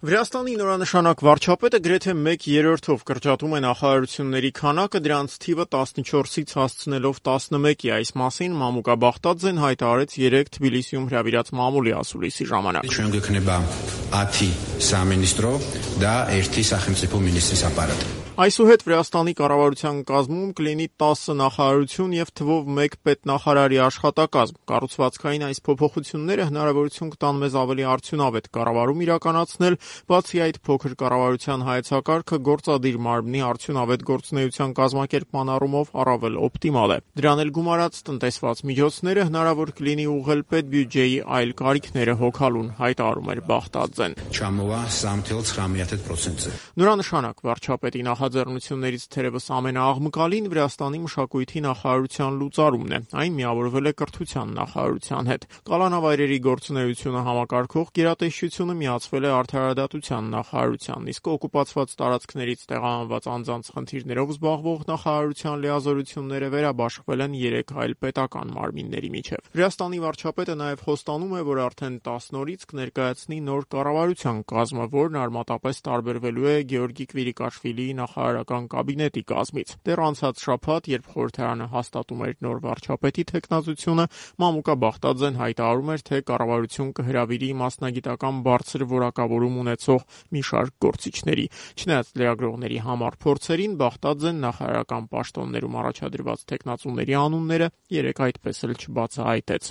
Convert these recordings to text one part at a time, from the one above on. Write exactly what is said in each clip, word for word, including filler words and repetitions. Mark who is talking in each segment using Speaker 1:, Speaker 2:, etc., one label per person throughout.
Speaker 1: Վրաստանի նորանշանակ վարչապետը գրեթե մեկ երրորդով կրճատում է նախարարությունների քանակը, դրանց թիվը տասնչորսից հասցնելով տասնմեկի: Այս մասին Մամուկա Բախտաձեն հայտարարեց երեկ Թբիլիսիում հրավիրած մամուլի ասուլիսի ժամանակ: Այսուհետ Վրաստանի կառավարության կազմում կլինի տասը նախարարություն և թվով մեկ պետնախարարի աշխատակազմ: Կառուցվածքային այս փոփոխությունները հնարավորություն կտան մեզ ավելի արդյունավետ կառավարում իրականացնել, բացի այդ փոքր կառավարության հայեցակարգը գործադիր մարմնի արդյունավետ գործունեության կազմակերպման առումով առավել օպտիմալ է: Դրան էլ գումարած տնտեսված միջոցները հնարավոր կլինի ուղղել պետբյուջեի այլ կարիքները հոգալուն, հայտարարում էր Բախտաձեն: Նորանշանակ վարչապետի նախաձեռնություններից թերևս ամենաաղմկալին Վրաստանի մշակույթի նախարարության լուծարումն է: Այն միավորվել է կրթության նախարարության հետ: Կալանավայրերի գործունեությունը համակարգող գերատեսչությունը միացվել է արդարադատության նախարարությանն, իսկ օկուպացված տարածքներից տեղահանված անձանց խնդիրներով զբաղվող նախարարության լիազորությունները վերաբաշխվել են երեք այլ պետական մարմինների միջև: Վրաստանի վարչապետը նաև խոստանում է, որ արդեն տասն օրից կներկայացնի նոր կառավարության կազմը, որն արմատապես տարբերվելու է Գեորգի Կվիրիկաշվիլիի նախարարական կաբինետի կազմից: Դեռ անցած շաբաթ, երբ խորհրդարանը հաստատում էր նոր վարչապետի թեկնածությունը, Մամուկա Բախտաձեն հայտարարում էր, թե կառավարություն կհրավիրի մասնագիտական բարձր որակավորում ունեցող մի շարք գործիչների: Չնայած լրագրողների համառ փորձերին, Բախտաձեն նախարարական պաշտոններում առաջադրված թեկնածուների անունները երեկ այդպես էլ չբացահայտեց: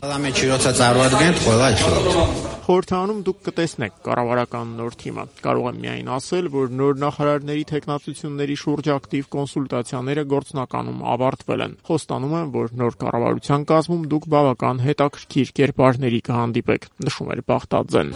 Speaker 1: Խորհրդարանում դուք կտեսնեք կառավարական նոր թիմը: Կարող եմ միայն ասել, որ նոր նախարարների թեկնածությունների շուրջ ակտիվ կոնսուլտացիաները գործնականում ավարտվել են: Խոստանում եմ, որ նոր կառավարության կազմում դուք բավական հետաքրքիր կերպարների կհանդիպեք, նշում էր Բախտաձեն: